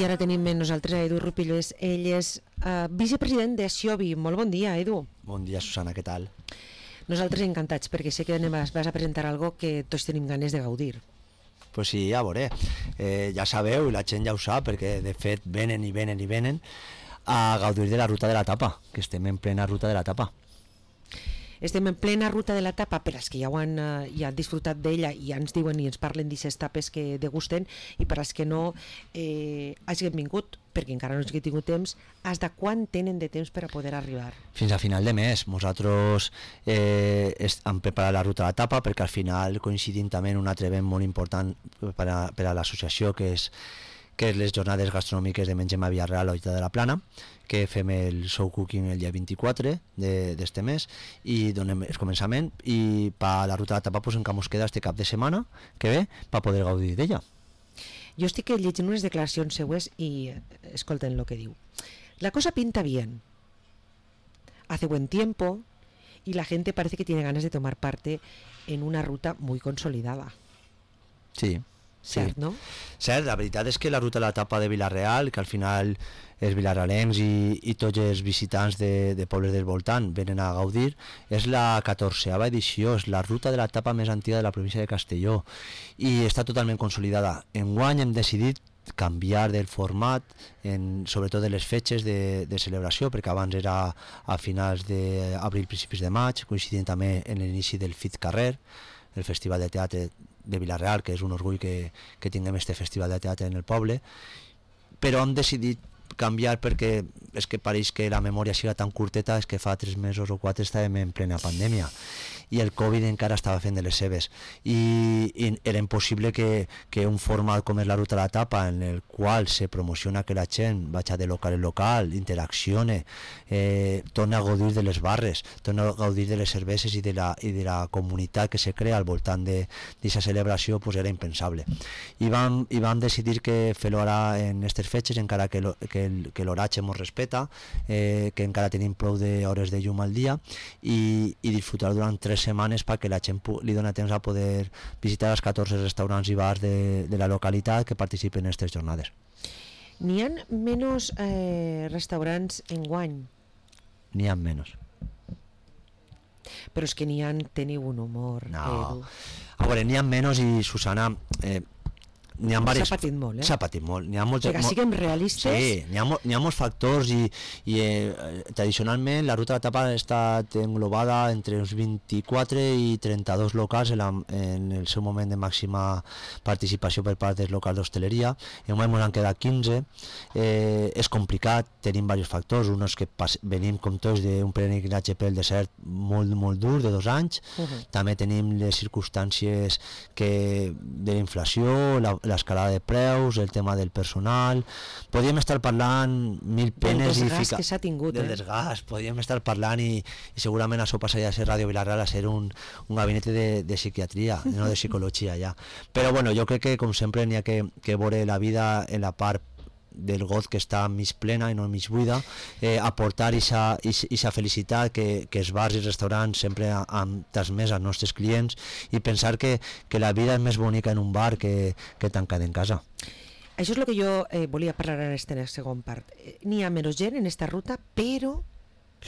I ara tenim amb nosaltres a Edu Rupillés. Ell és vicepresident de Siobi. Molt bon dia, Edu. Bon dia, Susana, què tal? Nosaltres encantats, perquè sé que vas a presentar algo que tots tenim ganes de gaudir. Pues sí, ja veuré. Ja sabeu, i la gent ja ho sap, perquè de fet venen a gaudir de la ruta de la tapa, que estem en plena ruta de la tapa. Estem en plena ruta de la tapa per als que ja han disfrutat d'ella i ja ens diuen i ens parlen d'aquestes tapes que degusten, i per als que no hagin vingut, perquè encara no hagin tingut temps, fins de quan tenen de temps per a poder arribar? Fins a final de mes. Nosaltres hem preparat la ruta de la tapa perquè al final coincidim també en un altre event molt important per a l'associació, que és les jornades gastronòmiques de Mengem a Villarreal a Hoita de la Plana, que fem el show cooking el dia 24 d'este mes i donem el començament, i per la ruta de la tapa pues, encara ens queda este cap de setmana que ve per poder gaudir d'ella. Jo estic llegint unes declaracions seues i escolten el que diu. La cosa pinta bien. Hace buen tiempo y la gente parece que tiene ganas de tomar parte en una ruta muy consolidada. Sí. Cert, no? Cert, la veritat és que la ruta de la tapa de Vila-real, que al final els vilarealencs i tots els visitants de pobles del voltant venen a gaudir, és la 14a edició, és la ruta de la tapa més antiga de la província de Castelló i està totalment consolidada. Enguany hem decidit canviar del format, sobretot de les fetges de celebració, perquè abans era a finals d'abril, principis de maig, coincidint també en l'inici del FIT Carrer, el Festival de Teatre de Vila-real, que és un orgull que tinguem este festival de teatre en el poble, però hem decidit canviar perquè és que pareix que la memòria siga tan curteta, és que fa 3 mesos o 4 estàvem en plena pandèmia i el Covid encara estava fent de les seves i era impossible que un format com és la ruta de la tapa, en el qual se promociona que la gent vagi de local en local, interaccione, torna a gaudir de les barres, torna a gaudir de les cerveses i de la comunitat que se crea al voltant d'aquesta celebració, pues era impensable. I vam decidir que fer-ho ara en aquestes fetges, encara que l'horatge ens respecta, que encara tenim prou d'hores de llum al dia, i disfrutar durant 3 setmanes perquè la gent li dona temps a poder visitar els 14 restaurants i bars de la localitat que participen en aquestes jornades. N'hi ha menys restaurants enguany? N'hi ha menys. Però és que teniu un humor, Edu. A veure, n'hi ha menys i, Susana, s'ha patit molt, S'ha patit molt. Perquè siguem realistes. Sí, n'hi ha molts factors i tradicionalment la ruta de la tapa ha estat englobada entre uns 24 i 32 locals en el seu moment de màxima participació per part dels locals d'hostaleria. En un moment han quedat 15. És complicat, tenim diversos factors. Un és que venim com tots d'un peregrinatge pel desert molt, molt dur, de 2 anys. També tenim les circumstàncies de la inflació, l'escalada de preus, el tema del personal. Podríem estar parlant mil penes del desgast que s'ha tingut, del desgast, podríem estar parlant i segurament això passaria a ser Ràdio Vila-real, a ser un gabinet de psiquiatria, no de psicologia ja. Però bueno, jo crec que com sempre n'hi ha que veure la vida en la part del got que està mig plena i no mig buida, aportar aquesta felicitat que els bars i restaurants sempre han transmès als nostres clients i pensar que la vida és més bonica en un bar que tancat en casa. Això és el que jo volia parlar en aquesta segona part. N'hi ha menys gent en aquesta ruta, però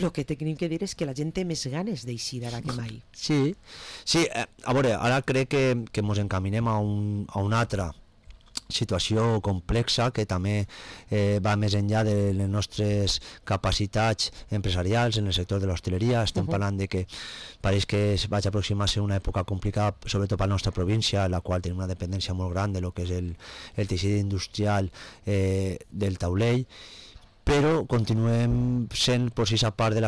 el que tenim que dir és que la gent té més ganes d'eixir ara que mai. Sí, a veure, ara crec que ens encaminem a una altra situació complexa que també va més enllà de les nostres capacitats empresarials en el sector de l'hostaleria. Estem parlant de que pareix que es vaig aproximar-se una època complicada, sobretot per la nostra província, en la qual tenim una dependència molt gran de lo que és el teixit industrial del taulell, però continuem sent aquesta part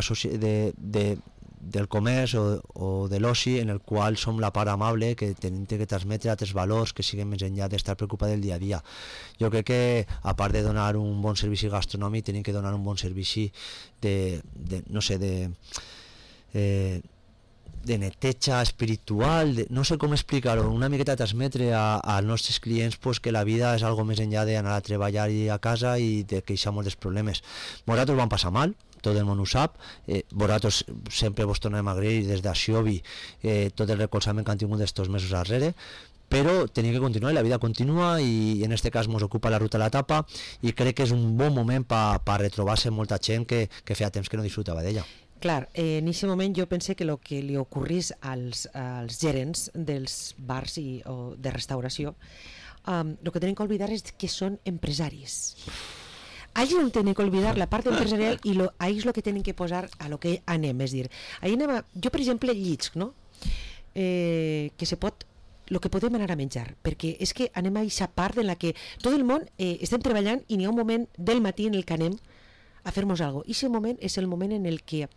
del comerç o de l'oci en el qual som la part amable que tenim que transmetre altres valors que siguin més enllà d'estar preocupat del dia a dia. Jo crec que a part de donar un bon servici gastronòmic tenim que donar un bon servici de neteja espiritual, no sé com explicar-ho, una miqueta transmetre als nostres clients que la vida és algo més enllà d'anar a treballar i a casa i de queixar molts problemes. Nosaltres vam passar mal, tot el món ho sap, vosaltres sempre vos tornem a agrair des d'Axiobi tot el recolzament que han tingut estos mesos darrere, però tenia que continuar i la vida continua i en este cas ens ocupa la ruta de la tapa i crec que és un bon moment per retrobar-se molta gent que feia temps que no disfrutava d'ella. Clar, en aquest moment jo pense que el que li ocorrís als gerents dels bars o de restauració, el que tenen que oblidar és que són empresaris. Ahí no tienen que olvidar la part empresarial i ahí és el que tenen que posar a lo que anem, és dir, ahí anem jo per exemple llits, no? Que se pot, el que podem anar a menjar, perquè és que anem a aquesta part en la que tot el món estem treballant i n'hi ha un moment del matí en el que anem a fer-nos alguna cosa, i aquest moment és el moment en el que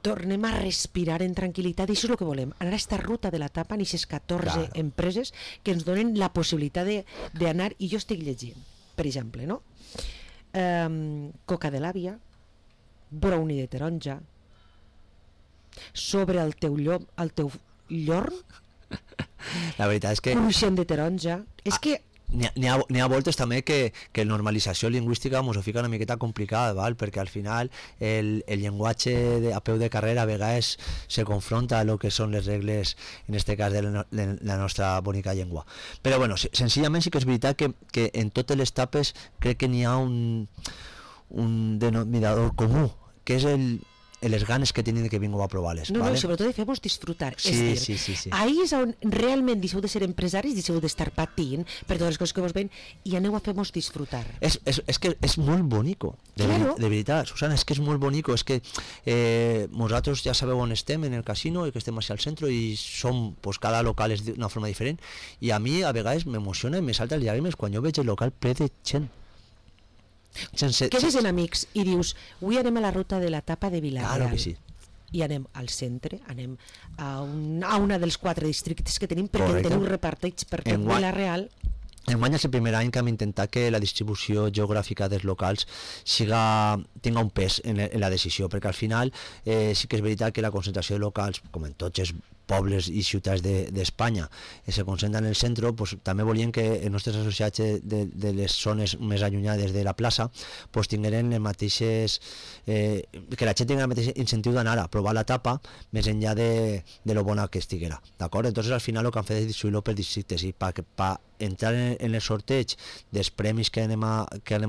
tornem a respirar en tranquil·litat i això és el que volem, anar a aquesta ruta de la tapa en aquestes 14 empreses que ens donen la possibilitat d'anar, i jo estic llegint, per exemple, no? Coca de l'àvia, brownie de taronja, sobre el teu llorn, la veritat és que cruixent de taronja, és que n'hi ha voltes també que normalització lingüística ens ho fica una miqueta complicada, val? Perquè al final el llenguatge a peu de carrera a vegades se confronta a lo que són les regles, en este cas de la nostra bonica llengua. Però bueno, senzillament sí que és veritat que en totes les tapes crec que n'hi ha un denominador comú, que és les ganes que tenen que vingueu a provar-les. No, ¿vale? no, sobretot de fer-vos disfrutar. Sí, és dir, sí. ahí és on realment deixeu de ser empresaris, deixeu d'estar patint per totes les coses que vos ven i aneu a fer-vos disfrutar. És que és molt bonico, Claro. de veritat, Susana, és que és molt bonico, és que nosaltres ja sabeu on estem, en el casino, i que estem així al centre i som, pues, cada local és d'una forma diferent, i a mi a vegades m'emociona i me salta les llàgrimes quan jo veig el local ple de gent. Quedes en amics i dius, avui anem a la ruta de la tapa de Vila-real. Claro que sí. I anem al centre, anem a una dels 4 districtes que tenim, perquè Correcte. teniu repartits per tot Vila-real. Enguany és el primer any que hem intentat que la distribució geogràfica dels locals tinga un pes en la decisió, perquè al final sí que és veritat que la concentració de locals, com en tots els pobles i ciutats d'Espanya, se concentren en el centre, pues, també volien que els nostres associats de les zones més allunyades de la plaça pues, tingueren les mateixes que la gent tingui el mateix incentiu d'anar a provar la tapa més enllà de lo bona que estiguera, d'acord? Entonces al final el que han fet és distribuir-lo per districtes i per entrar en el sorteig dels premis que anem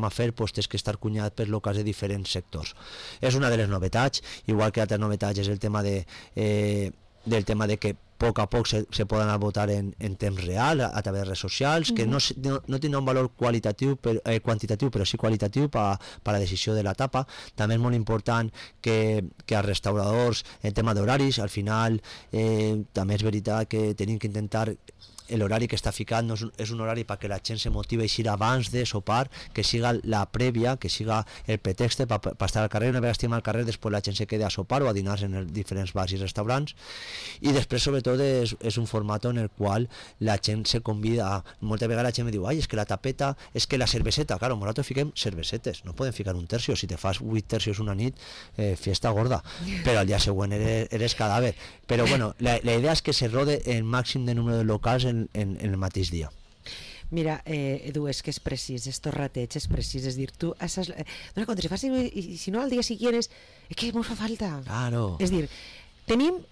a fer pues, tens que estar cunyat per locals de diferents sectors. És una de les novetats, igual que altres novetats és el tema del tema de que a poc a poc se poden anar a votar en temps real a través de redes socials, que no tindrà un valor quantitatiu però sí qualitatiu per a la decisió de l'etapa. També és molt important que els restauradors, en tema d'horaris, al final també és veritat que tenim que intentar l'horari que està ficat no és un horari perquè la gent se motiva a eixir abans de sopar, que siga la prèvia, que siga el pretext per estar al carrer. Una vegada estem al carrer, després la gent se queda a sopar o a dinar en els diferents bars i restaurants, i després sobretot és un format en el qual la gent se convida. Moltes vegades la gent me diu, ai, és que la tapeta, és que la cerveseta, claro, nosaltres fiquem cervesetes, no podem ficar un tercio, si te fas 8 tercios una nit, fiesta gorda, però al dia següent eres cadàver. Però bueno, la idea és que se rode el màxim de número de locals en el mateix dia. Mira, Edu, és que és precís, estos rateig és precís, és dir, tu dona compte, si no al dia siguient és que mos fa falta. Claro. És dir,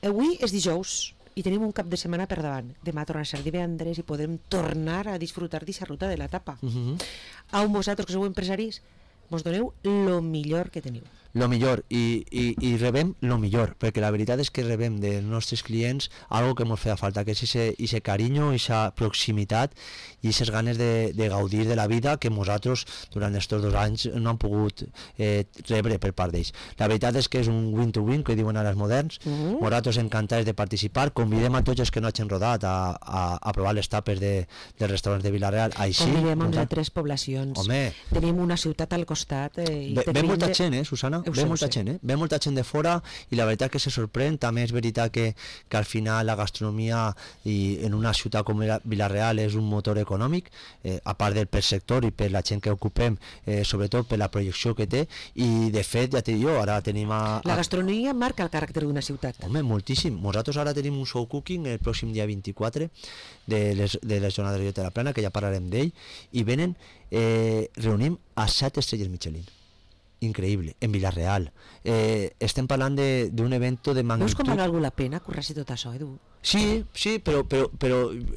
avui és dijous i tenim un cap de setmana per davant, demà torna a ser divendres i podem tornar a disfrutar d'aquesta ruta de la tapa. A vosaltres que sou empresaris mos doneu lo millor que teniu. Lo millor, i rebem lo millor, perquè la veritat és que rebem dels nostres clients algo que ens feia falta, que és ese carinyo, esa proximitat i aquestes ganes de gaudir de la vida que nosaltres durant aquests 2 anys no hem pogut rebre per part d'ells. La veritat és que és un win-to-win, que diuen ara els moderns. Nosaltres encantats de participar, convidem a tots els que no hagin rodat a provar les tapes dels restaurants de Vila-real. Convidem a 3 poblacions. Home. Tenim una ciutat al costat. Ve molta gent, Susana? Ve molta gent de fora i la veritat que se sorprèn. També és veritat que al final la gastronomia en una ciutat com Vila-real és un motor econòmic, a part del per sector i per la gent que ocupem, sobretot per la projecció que té, i de fet, ja t'he dit jo, ara tenim la gastronomia marca el caràcter d'una ciutat. Home, moltíssim. Nosaltres ara tenim un show cooking el pròxim dia 24 de les jornades de la Plana, que ja parlarem d'ell, i venen, reunim a 7 estrelles Michelin. Increïble, en Vila-real. Estem parlant d'un evento de magnitud. Veus com val algú la pena currar-se tot això, Edu? Sí, però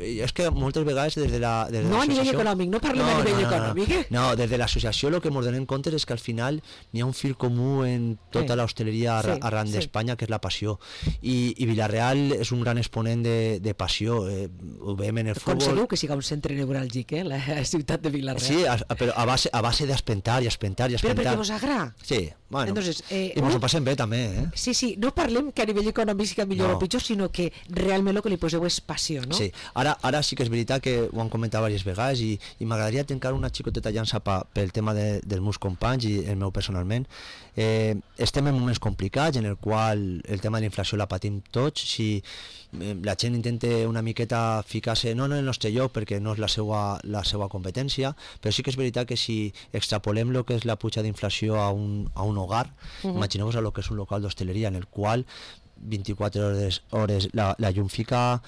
és que moltes vegades des de no a nivell econòmic, no parlem a nivell econòmic. No, des de l'associació el que ens donem compte és que al final n'hi ha un fil comú en tota l'hostaleria arran d'Espanya, que és la passió, i Vila-real és un gran exponent de passió. Ho veiem en el futbol. Aconsegueu que siga un centre neuràlgic, la ciutat de Vila-real. Sí, però a base d'espentar i espentar i espentar. Però perquè vos agrada. Sí, bueno, entonces, i mos ho passem bé també, Sí, no parlem que a nivell econòmic siga millor o pitjor, sinó que realment el que li poseu és passió, no? Sí, ara sí que és veritat que ho han comentat diverses vegades i m'agradaria tancar una xicoteta llança pel tema dels meus companys i el meu personalment. Estem en moments complicats en el qual el tema de la inflació la patim tots. Si la gent intenta una miqueta ficar-se no en el nostre lloc perquè no és la seva competència, però sí que és veritat que si extrapolem el que és la puja d'inflació a un hogar, imagineu-vos el que és un local d'hostaleria en el qual 24 hores la llum fica,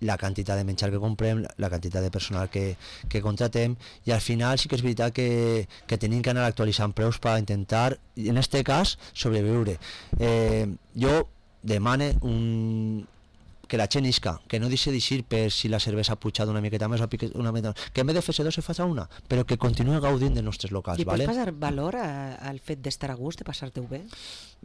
la quantitat de menjar que comprem, la quantitat de personal que contratem, i al final sí que és veritat que tenim que anar actualitzant preus per intentar, en aquest cas, sobreviure. Jo demane que la gent isca, que no deixi d'eixir per si la cervesa ha pujat una miqueta més o una miqueta més, que en vez de fer-se dos se faci una, però que continuï gaudint dels nostres locals. I pots passar valor al fet d'estar a gust, de passar-te-ho bé?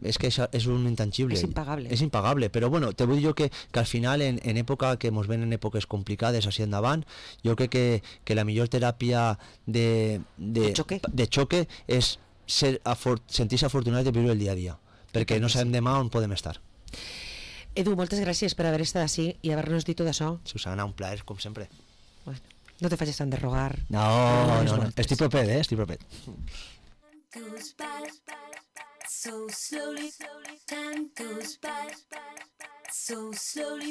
És que és un intangible. És impagable. És impagable, però bueno, te vull dir jo que al final en època que ens ven en èpoques complicades així endavant, jo crec que la millor teràpia de xoque és sentir-se afortunat de viure el dia a dia, perquè no sabem demà on podem estar. Edu, moltes gràcies per haver estat així i haver-nos dit tot això. Susana, un plaer, com sempre. Bueno, no te facis tant de rogar. No, estic propet, estic propet. Goes by so slowly, time goes by so slowly.